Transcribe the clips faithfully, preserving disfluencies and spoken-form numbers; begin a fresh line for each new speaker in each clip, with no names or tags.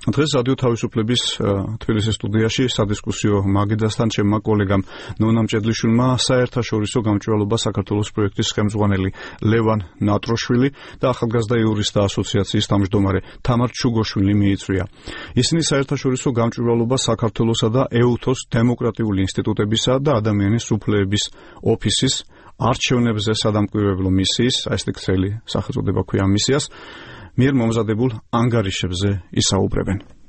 დღეს რადიო თავისუფლების თბილისის სტუდიაში სადისკუსიო მაგიდასთან ჩემმა კოლეგამ ნონა მჭედლიშვილმა საერთაშორისო გამჭვირვალობა საქართველოს პროექტის ხელმძღვანელი ლევან ნატროშვილი და ახალგაზრდა იურისტთა ასოციაციის თავმჯდომარე თამარ ჩუგოშვილი მიიწვია. ისინი საერთაშორისო გამჭვირვალობა საქართველოსა და ეუთოს დემოკრატიული ინსტიტუტებისა და ადამიანის უფლებების ოფისის არჩევნებზე სადამკვირვებლო მისიის, ეს ქსელი სახელწოდება ქვია მისიას, მიერ მომზადებულ ანგარიშებზე ისაუბრებენ.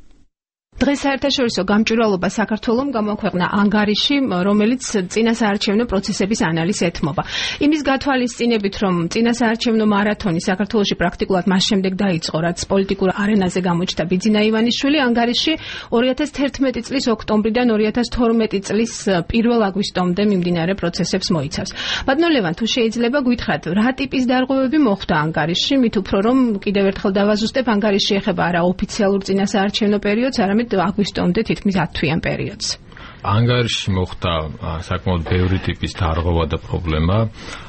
დღეს საერთაშორისო გამჭვირვალობა საქართველომ გამოქვეყნა ანგარიში, რომელიც წინასაარჩევნო პროცესების ანალიზს ეთმობა. იმის გათვალისწინებით, რომ წინასაარჩევნო მარათონი საქართველოში პრაქტიკულად მას შემდეგ დაიწყო, რაც პოლიტიკურ არენაზე გამოჩნდა ბიძინა ივანიშვილი, ანგარიში ორი ათას თერთმეტი წლის ოქტომბრიდან ორი ათას თორმეტი წლის პირველ აგვისტომდე მიმდინარე პროცესებს მოიცავს. ბატონო ლევან, თუ შეიძლება გითხრათ, რა ტიპის დარღვევები მოხდა ანგარიში, მით უფრო რომ კიდევ ერთხელ დავაზუსტებ, ანგარიში ეხება არა ოფიციალურ წინასაარჩევნო პერიოდს, არამედ აგვისტომდე თითქმის ათთვიან პერიოდს.
ანგარიში მოხდა საკმაოდ ბევრი ტიპის დარღვევა და პრობლემა.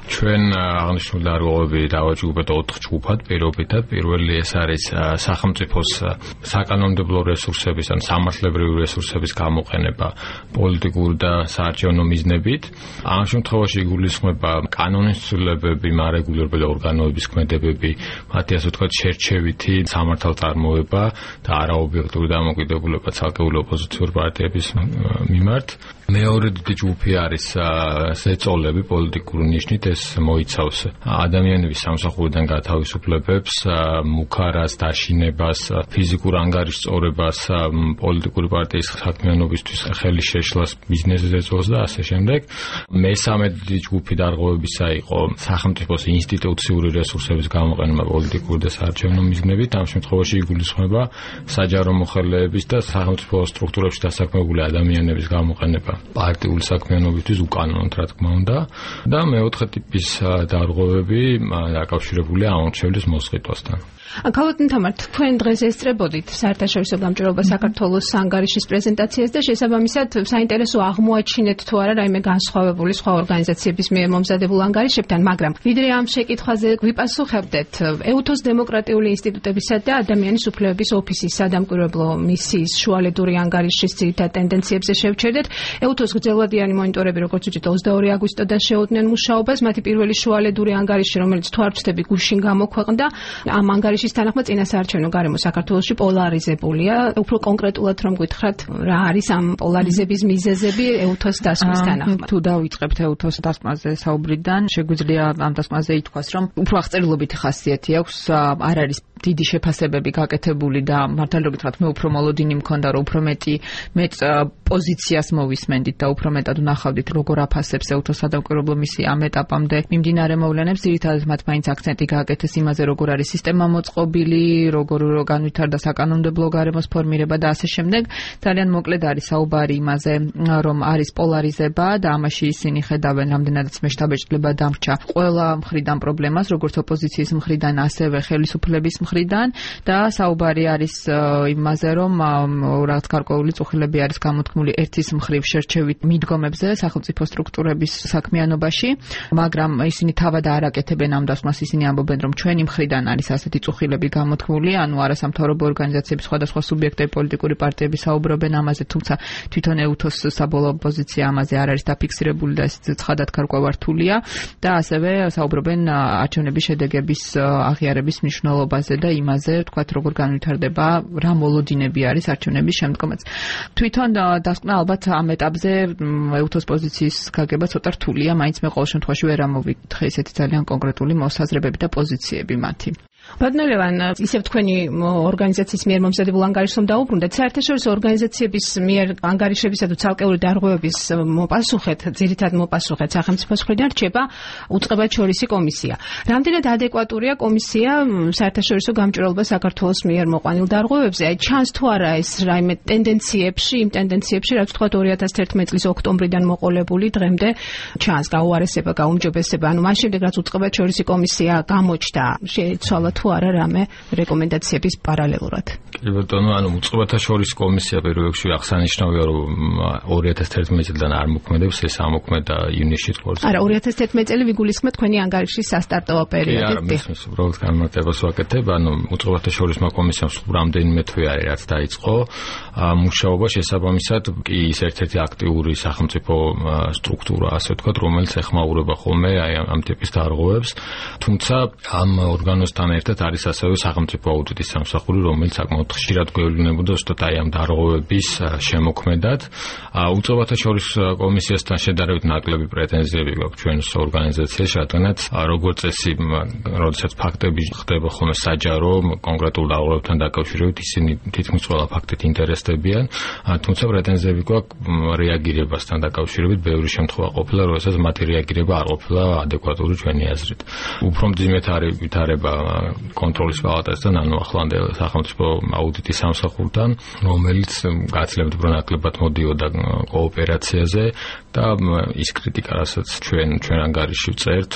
ჩვენ აღნიშნული დარღვევები დავაჯგუფეთ ოთხ ჯგუფად პირობითად. პირველი ეს არის სახელმწიფოს საკანონმდებლო რესურსების ან სამართლებრივი რესურსების გამოყენება პოლიტიკური და საარჩევნო მიზნებით. ამ შემთხვევაში იგულისხმება კანონის ცვლილებები, მარეგულირებელი ორგანოების ქმედებები, მათი ასე ვთქვათ შერჩევითი სამართალწარმოება და არაობიექტური დამოკიდებულება ცალკეული ოპოზიციური პარტიების მიმართ. მეორე დიდი ჯგუფი არის ზეწოლები პოლიტიკური ნიშნით, ეს მოიცავს ადამიანების სამსახურიდან გათავისუფლებებს, მუქარას, დაშინებას, ფიზიკურ ანგარიშწორებას, პოლიტიკური პარტიის საქმიანობისთვის ხელის შეშლას, ბიზნეს ზეწოლს და ასე შემდეგ. მესამე დიდი ჯგუფი დარღვევებისა იყო სახელმწიფოს ინსტიტუციური რესურსების გამოყენება პოლიტიკური და საარჩევნო მიზნებით. ამ შემთხვევაში იგულისხმება საჯარო მოხელეების და სახელმწიფო სტრუქტურებში დასაქმებული ადამიანების გამოყენება პარტიული საქმიანობისთვის უკანონოდ, რა თქმა უნდა, და მეოთხე ტიპის დარღვევები დაკავშირებულია ამორჩევლის მოსყიდვასთან.
ქალბატონ თამარ, თქვენ დღეს ესწრებოდით საერთაშორისო გამჭვირვალობა საქართველოს ანგარიშის პრეზენტაციას და შესაბამისად საინტერესო აღმოაჩინეთ თუ არა რაიმე განსხვავებული სხვა ორგანიზაციების მიერ მომზადებულ ანგარიშებთან, მაგრამ ვიდრე ამ შეკითხვაზე გვიპასუხებდეთ, ეუთოს დემოკრატიული ინსტიტუტებისა და ადამიანის უფლებების ოფისის სადამკვირვებლო მისიის შუალედური ანგარიშის ძირითად ტენდენციებზე შევჩერდეთ. ეუთოს გრძელვადიანი მონიტორები, როგორც ვთქვით, ოცდაორი აგვისტოდან შეუდგნენ მუშაობას. მათი პირველი შუალედური ანგარიში, რომელიც თუ არ ვწდები გუშინ გამოქვეყნდა, ამ ანგარიშის თანახმად წინასაარჩევნო გარემო საქართველოში პოლარიზებულია. უფრო კონკრეტულად რომ გითხრათ, რა არის ამ პოლარიზების მიზეზები ეუთოს დასკვნას თანახმად?
თუ დავიწყებთ ეუთოს დასკვნაზე საუბრიდან, შეგვიძლია ამ დასკვნაზე ითქვას, რომ უფრო აღწერილობითი ხასიათი აქვს, არ არის დიდი შეფასებები გაკეთებული და მართალ გითხრათ, მე უფრო მოლოდინი მქონდა, რომ უფრო მეტი მეც პოზიციას მოვისმენდით და უფრო მეტად ვნახავდით, როგორ აფასებს ეუთოს სადამკვირვებლო მისია ამ ეტაპამდე მიმდინარე მოვლენებს. ძირითადად მათ მაინც აქცენტი გააკეთეს იმაზე, როგორ არის სისტემა მოწყობილი, როგორ განვითარდა საკანონმდებლო გარემოს ფორმირება და ასე შემდეგ. ძალიან მოკლედ არის საუბარი იმაზე, რომ არის პოლარიზება და ამაში ისინი ხედავენ, რამდენადაც მეშთაბეჭდილება დამრჩა ყველა მხრიდან პრობლემას, როგორც ოპოზიციის მხრიდან, ასევე ხელისუფლების მხრიდან და საუბარი არის იმაზე, რომ რაღაც გარკვეული წუხილები არის გამოთქმული ერთის მხრივ შერჩევით მიდგომებზე სახელმწიფო სტრუქტურების საქმიანობაში, მაგრამ ისინი თავად არ აკეთებენ ამ დასკვნას. ისინი ამბობენ, რომ ჩვენი მხრიდან არის ასეთი წუხილები გამოთქმული, ანუ არასამთავრობო ორგანიზაციების სხვადასხვა სუბიექტები, პოლიტიკური პარტიები საუბრობენ ამაზე, თუმცა თვითონ ეუთოს საბოლოო პოზიცია ამაზე არ არის დაფიქსირებული და ეს ცხადად გარკვევართულია და ასევე საუბრობენ არჩევნების შედეგების აღიარების მნიშვნელობაზე და იმაზე, თქვათ, როგორ განვითარდება, რა მოლოდინები არის არჩევნების შემდგომაც. თვითონ დასკვნა ალბათ ამ ეტაპზე ეუთოს პოზიციის გაგება ცოტა რთულია, მაინც მე ყოველ შემთხვევაში ვერ ამოვიკითხე ისეთი ძალიან კონკრეტული მოსაზრებები და პოზიციები მათი.
ბატონო ლევან, ისევ თქვენი ორგანიზაციის მიერ მომზადებულ ანგარიშს რომ დაუბრუნდეთ, საერთაშორისო ორგანიზაციების მიერ ანგარიშებისა თუ ცალკეული დარღვევების მოპასუხეთ, ძირითად მოპასუხეთ სახელმწიფოს მხრიდან რჩება უწყებაჩორისი კომისია. რამდენად ადეკვატურია კომისია საერთაშორისო გამჭვირვალობა საქართველოს მიერ მოყვანილ დარღვევებზე? აი ჩანს თუ არა ეს რაიმე ტენდენციებში, იმ ტენდენციებში, რაც თქვათ ორი ათას თერთმეტი წლის ოქტომბრიდან მოყოლებული დღემდე ჩანს გაუარესება, გაუმჯობესება. ანუ მას შემდეგ რაც უწყებაჩორისი კომისია გამოჩნდა, შეეცვალა თუ არა რამე რეკომენდაციების პარალელურად.
კი ბატონო, ანუ უწყებათა შორის კომისია პირველ რიგში აღსანიშნავია, რომ ორი ათას თერთმეტი წლიდან არ მოქმედებს, ეს ამოქმედა ივნისში თქოს.
არა, ორი ათას თერთმეტი წელი ვიგულისხმეთ თქვენი ანგარიშის სასტარტო პერიოდი.
კი, არა, მის უბრალოდ განმარტებას ვაკეთებ, ანუ უწყებათა შორის კომისიამ სულ რამდენიმე თვე არის რაც დაიწყო მუშაობა, შესაბამისად კი ის ერთ-ერთი აქტიური სახელმწიფო სტრუქტურა, ასე ვთქვათ, რომელიც ეხმაურება ხოლმე აი ამ ტიპის დარღვევებს. თუმცა ამ ორგანოსთან ერთად არის ასევე სახელმწიფო აუდიტის სამსახური, რომელიც საკმაოდ ხშირად გვევლინებოდა ზუსტად აი ამ დარღვევების შემოქმედად. უწყებათა შორის კომისიასთან შედარებით ნაკლები პრეტენზიები გვაქვს ჩვენს ორგანიზაციაში, რადგანაც როგორც წესი, როდესაც ფაქტები ხდება ხოლმე საჯარო კონკრეტულ დარღვევებთან დაკავშირებით, ისინი თითქმის ყველა ფაქტით ინტერესდებიან, თუმცა პრეტენზიები გვაქვს რეაგირებასთან დაკავშირებით, ბევრი შემთხვევა ყოფილა, როდესაც მათი რეაგირება არ ყოფილა ადეკვატური ჩვენი აზრით. უფრო მძიმედ არის ვითარება კონტროლის პალატასთან, ანუ ახლანდელ სახელმწიფო აუდიტის სამსახურთან, რომელიც გაცილებით უფრო ნაკლებად მოდიოდა კოოპერაციაზე და ის კრიტიკა, რასაც ჩვენ ჩვენ ანგარიში ვწერთ,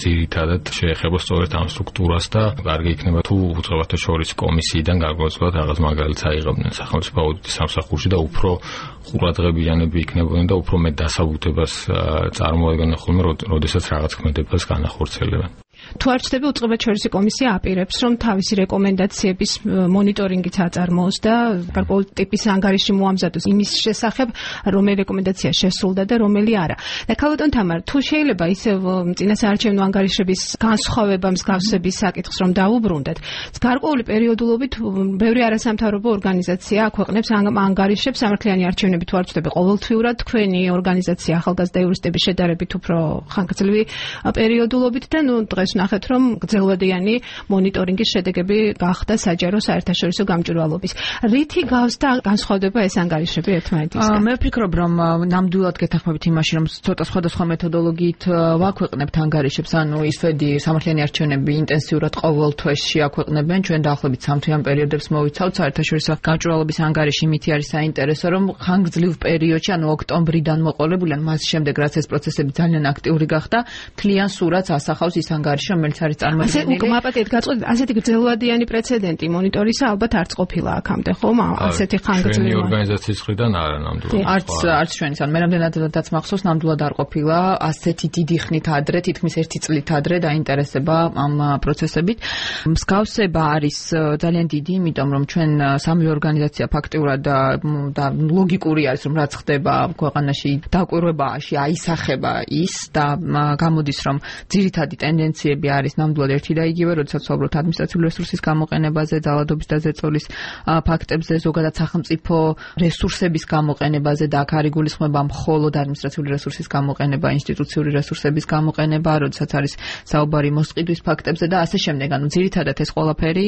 ძირითადად შეეხება სწორედ ამ სტრუქტურას და კარგი იქნება თუ უწყებათა შორის კომისიიდან გარკვეულად რაღაც მაგალითს აიღებდნენ სახელმწიფო აუდიტის სამსახურში და უფრო ყურადღებიანები იქნებოდნენ და უფრო მეტ დასაბუთებას წარმოადგენდნენ ხოლმე, როდესაც რაღაც ქმედებას განახორციელებენ.
თუ არ ჩნდება უწყებათა შორის კომისია აპირებს, რომ თავისი რეკომენდაციების მონიტორინგიც აწარმოოს და გარკვეული ტიპის ანგარიში მოამზადოს იმის შესახებ, რომელი რეკომენდაცია შესრულდა და რომელი არა. და ქალბატონ თამარ, თუ შეიძლება ისევ წინასაარჩევნო ანგარიშების განსხვავება მსგავსების საკითხს რომ დაუბრუნდეთ, გარკვეული პერიოდულობით ბევრი არასამთავრობო ორგანიზაცია აქვეყნებს ამ ანგარიშებს სამართლიანი არჩევნები თუ არ ჩნდება ყოველთვიურად, თქვენი ორგანიზაცია ახალგაზრდა იურისტების შედარებით უფრო ხანგრძლივი პერიოდულობით და ნუ დღეს ნახეთ, რომ გრძელვადიანი მონიტორინგის შედეგები გახდა საჯარო საერთაშორისო გამჭვირვალობის. რითი გავს და განსხვავდება ეს ანგარიშები ერთმანეთისგან?
მე ვფიქრობ, რომ ნამდვილად გეთანხმებით იმაში, რომ ცოტა სხვადასხვა მეთოდოლოგიით ვაქვეყნებთ ანგარიშებს, ანუ ისვედი სამართლიანი არჩევნები ინტენსიურად ყოველ თვეში აქვეყნებენ, ჩვენ დაახლოებით სამთვიან პერიოდებს მოვიცავთ საერთაშორისო გამჭვირვალობის ანგარიში, მითი არის საინტერესო, რომ ხანგრძლივ პერიოდში, ანუ ოქტომბრიდან მოყოლებული, ან მას შემდეგ, რაც ეს პროცესები ძალიან აქტიური გახდა, მთლიან სურათს ასახავს ის ანგარიში, რომელიც არის წარმოქმნილი.
ასე მაპატიეთ გაწყვეტ, ასეთი გრძელვადიანი პრეცედენტი მონიტორისა ალბათ არც ყოფილა აქამდე, ხომ? ასეთი ხანგრძლივი.
ჩვენი ორგანიზაციის მხრიდან არა ნამდვილად.
არც არც ჩვენი, ან მე რამდენადაც მახსოვს, ნამდვილად არ ყოფილა ასეთი დიდი ხნით ადრე, თითქმის ერთი წლით ადრე დაინტერესება ამ პროცესებით. მსგავსება არის ძალიან დიდი, იმიტომ რომ ჩვენ სამი ორგანიზაცია ფაქტიურად და ლოგიკური არის, რომ რაც ხდება ქვეყანაში დაკვირვებაში აისახება ის და გამოდის, რომ ძირითადი ტენდენციები არის ნამდვილად ერთი და იგივე, როდესაც ვსაუბრობთ ადმინისტრაციული რესურსის გამოყენებაზე, ძალადობის და ზეწოლის ფაქტებზე, ზოგადად სახელმწიფო რესურსების გამოყენებაზე და აქ არ იგულისხმება მხოლოდ ადმინისტრაციული რესურსის გამოყენება, ინსტიტუციური რესურსების გამოყენება, როდესაც არის საუბარი მოსყიდვის ფაქტებზე და ასე შემდეგ. ანუ ძირითადად ეს ყველაფერი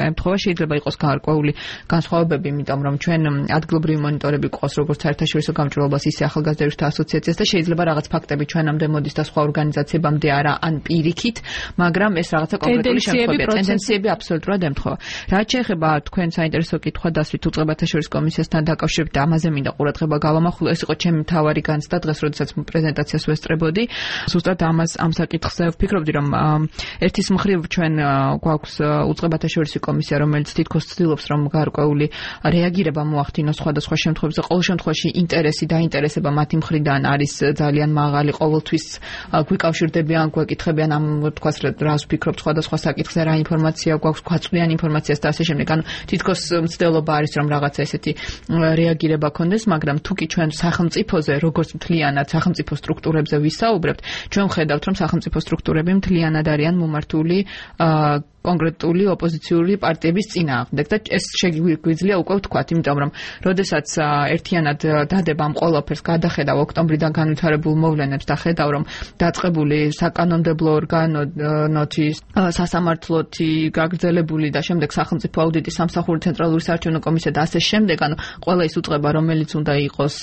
ემთხვევა, შეიძლება იყოს გარკვეული განსხვავებები, იმიტომ რომ ჩვენ ადგილობრივი მონიტორები გვყავს როგორც საერთაშორისო გამჭვირვალობას, ისე ახალგაზრდა იურისტთა ასოციაციას და შეიძლება რაღაც ფაქტები ჩვენამდე მოდის და სხვა ორგანიზაციებამდე არა, ან პირიქით, მაგრამ ეს რაღაცა კონკრეტული შემთხვევებია, ტენდენციები აბსოლუტურად ემთხვევა. რაც შეეხება თქვენ საინტერესო კითხვა დასვით უწყებათა შორის კომისიასთან დაკავშირებით, ამაზე მინდა ყურადღება გავამახვილო, ეს იყო ჩემი მთავარი განცდა დღეს, როდესაც პრეზენტაციას ვესწრებოდი. ზუსტად ამას ამ საკითხზე ვფიქრობდი, რომ ერთის მხრივ ჩვენ გვაქვს უწყებათა შორის კომისია, რომელიც თითქოს ცდილობს, რომ გარკვეული რეაგირება მოახდინოს სხვადასხვა შემთხვევებში. ყოველ შემთხვევაში ინტერესი და ინტერესება მათი მხრიდან არის ძალიან მაღალი, ყოველთვის გვიკავშირდებიან, გვეკითხებიან ამ თქვას რას ვფიქრობთ სხვადასხვა საკითხზე, რა ინფორმაცია გვაქვს, გვაწვდიან ინფორმაციას და ასე შემდეგ. ანუ თითქოს მცდელობა არის, რომ რაღაცა ესეთი რეაგირება ქონდეს, მაგრამ თუ კი ჩვენ სახელმწიფოზე, როგორც მთლიანად სახელმწიფო სტრუქტურებზე ვისაუბრებთ, ჩვენ ვხედავთ, რომ სახელმწიფო სტრუქტურები მთლიანად არიან მომართული კონკრეტული ოპოზიციური პარტიების წინააღმდეგ და ეს შეგვიძლია უკვე ვთქვათ, იმიტომ რომ როდესაც ერთიანად დადება ამ ყველაფერს გადახედავ ოქტომბრიდან განვითარებულ მოვლენებს და ხედავ, რომ დაწყებული საკანონმდებლო ორგანოთი, სასამართლოთი, გაგრძელებული და შემდეგ სახელმწიფო აუდიტის სამსახური, ცენტრალური საარჩევნო კომისია და ასე შემდეგ, ანუ ყველა ის უწყება, რომელიც უნდა იყოს,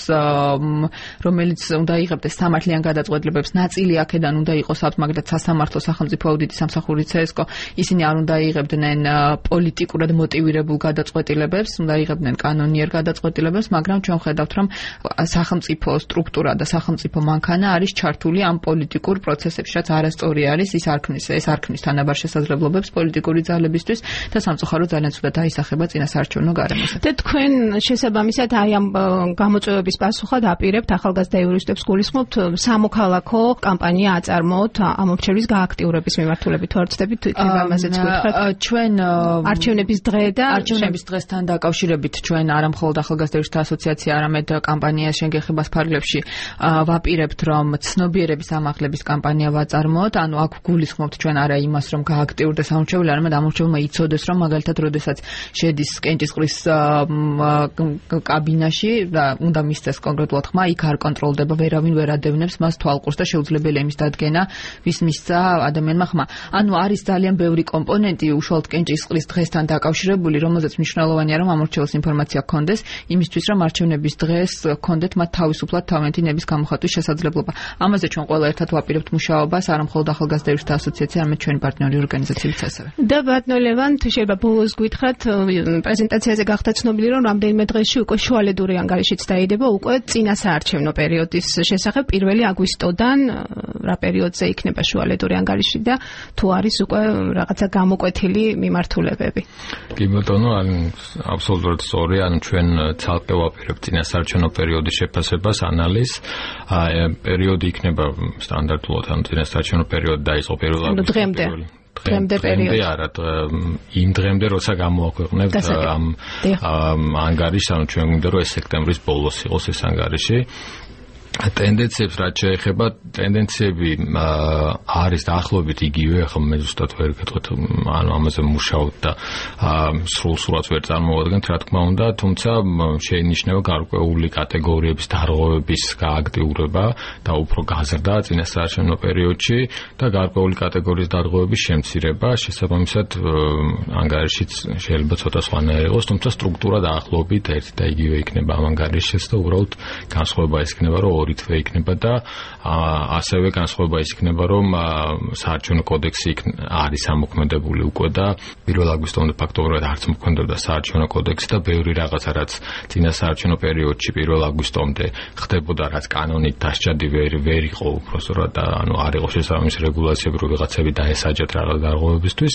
რომელიც უნდა იღებდეს სამართლიან გადაწყვეტილებებს, ნაწილი აქედან უნდა იყოს, მაგალითად სასამართლო, სახელმწიფო აუდიტის სამსახური, ცესკო, ისინი არ უნდა იღებდნენ პოლიტიკურად მოტივირებულ გადაწყვეტილებებს, უნდა იღებდნენ კანონიერ გადაწყვეტილებებს, მაგრამ ჩვენ ხედავთ, რომ სახელმწიფო სტრუქტურა და სახელმწიფო მანქანა არის ჩართული ამ პოლიტიკურ პროცესებში, რაც არასწორი არის, ის არ ქმნის, ეს არ ქმნის თანაბარ შესაძლებლობებს პოლიტიკური ძალებისთვის და სამწუხაროდ ძალიან ცუდად აისახება წინასაარჩევნო გარემოზე.
და თქვენ შესაბამისად აი ამ გამოწვევების პასუხად აპირებთ ახალგაზრდა იურისტებს გულისხმობთ სამოქალაქო კამპანია აწარმოოთ ამორჩევის გააქტიურების მიმართულებით თუ არ ვცდებით იქნება ამაზეც გითხრათ.
ჩვენ
არჩევნების დღე და
არჩევნების დღესთან დაკავშირებით ჩვენ არა მხოლოდ ახალგაზრდა იურისტთა ასოციაცია, არამედ კამპანია შენგეხებას ფარგლებში ვაპირებთ, რომ ცნობიერების ამაღლების კამპანია ვაწარმოოთ, ანუ აქ გულისხმობთ ჩვენ არა იმას, რომ გააქტიურდეს ამორჩეველი, არამედ ამორჩევილმა იცოდეს, რომ მაგალითად როდესაც შედის კენჭისყრის კაბინაში და უნდა მისცეს კონკრეტულად ხმა, იქ არ კონტროლდება, ვერავინ ვერ ადევნებს მას თვალყურს და შეუძლებელია იმის დადგენა, ვის მისცა ადამიანმა ხმა. ანუ არის ძალიან ბევრი კომპონენტი უშუალოდ კენჭისყრის დღესთან დაკავშირებული, რომელზეც მნიშვნელოვანია, რომ ამორჩეველს ინფორმაცია ჰქონდეს, იმისთვის, რომ არჩევნების დღეს ჰქონდეთ მათ თავისუფლად თავიანთი ნების გამოხატვის შესაძლებლობა. ამაზე ჩვენ ყველა ერთად ვაპირებთ მუშაობას, არა მხოლოდ ახალგაზრდა იურისტთა ასოციაცია, არამედ ჩვენი პარტნიორი ორგანიზაციებიც ასევე.
და ბატონო ლევან, თუ შეიძლება ბოლოს გითხრათ, პრეზენტაციაზე გახდა ცნობილი, რომ რამდენიმე დღეში უკვე შუალედური ანგარიშიც დაიდება უკვე წინასაარჩევნო პერიოდის შესახებ პირველი აგვისტოდან რა პერიოდზე იქნება შუალედური ანგარიში და თუ არის უკვე რაღაცა გამოკვეთილი მიმართულებები.
კი ბატონო, აბსოლუტურად სწორი, ანუ ჩვენ ცალკე ვაპირებთ წინასაარჩევნო პერიოდის შეფასებას, ანალიზს. პერიოდი იქნება სტანდარტულად, ანუ წინასაარჩევნო პერიოდი დაიწყო პირველ აგვისტოში.
დღემდე დღემდე პერიოდი
არა, იმ დღემდე როცა გამოაქვეყნებთ ამ ანგარიშს, ანუ ჩვენ გვინდა რომ ეს სექტემბრის ბოლოს იყოს ეს ანგარიში. ტენდენციებს რაც შეეხება, ტენდენციები არის დაახლოებით იგივე, ახლა მე ზუსტად ვერ გეტყვით, ანუ ამაზე მუშაობ და სრულ სურათს ვერ წარმოვადგენთ, რა თქმა უნდა, თუმცა შეინიშნება გარკვეული კატეგორიების დარღვევების გააქტიურება და უფრო გაზრდა წინასაარჩევნო პერიოდში და გარკვეული კატეგორიის დარღვევების შემცირება, შესაბამისად ანგარიშიც შეიძლება ცოტა სხვანაირი იყოს, თუმცა სტრუქტურა დაახლოებით ერთი და იგივე იქნება ამ ანგარიშის და უბრალოდ განსხვავება ის იქნება, რომ ორი თვე იქნება და ასევე განსხვავება ის იქნება, რომ საარჩევნო კოდექსი არის ამოქმედებული უკვე და პირველ აგვისტომდე ფაქტობრივად არც მოქმედებდა საარჩევნო კოდექსი და ბევრი რაღაცა, რაც წინა საარჩევნო პერიოდში პირველ აგვისტომდე ხდებოდა, რაც კანონით დასჭადი ვერ ვერ იყო უბრალოდ და ანუ არ იყო შესაბამისი რეგულაციები, რომ ვიღაცები დაესაჯათ რაღაც დარღვევებისთვის.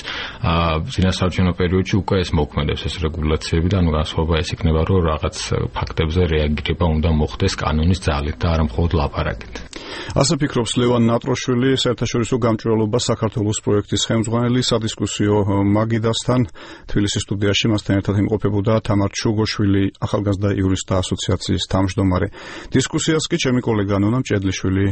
წინა საარჩევნო პერიოდში უკვე ეს მოქმედებს ეს რეგულაციები და ანუ განსხვავება ის იქნება, რომ რაღაც ფაქტებზე რეაგირება უნდა მოხდეს კანონის ძალით და არა მხოლოდ ლაპარაკით.
ასე ფიქრობს ლევან ნატროშვილი, საერთაშორისო გამჭვირვალობა საქართველოს პროექტის ხელმძღვანელი, სადისკუსიო მაგიდასთან თბილისის სტუდიაში მასთან ერთად იმყოფებოდა თამარ ჩუგოშვილი, ახალგაზრდა იურისტთა ასოციაციის თავმჯდომარე. დისკუსიას კი ჩემი კოლეგა ნონა მჭედლიშვილი